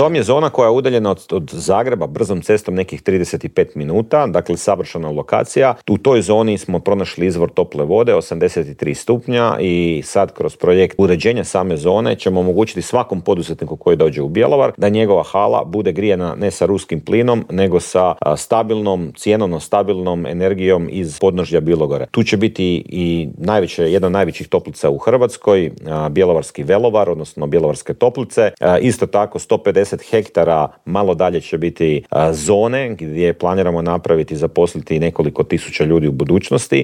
To je zona koja je udaljena od Zagreba brzom cestom nekih 35 minuta, dakle savršena lokacija. U toj zoni smo pronašli izvor tople vode, 83 stupnja, i sad kroz projekt uređenja same zone ćemo omogućiti svakom poduzetniku koji dođe u Bjelovar da njegova hala bude grijana ne sa ruskim plinom, nego sa stabilnom, cjenovno stabilnom energijom iz podnožja Bilogore. Tu će biti i jedna od najvećih toplica u Hrvatskoj, Bjelovarski velovar, odnosno Bjelovarske toplice. Isto tako 150 hektara malo dalje će biti zone gdje planiramo napraviti i zaposliti nekoliko tisuća ljudi u budućnosti.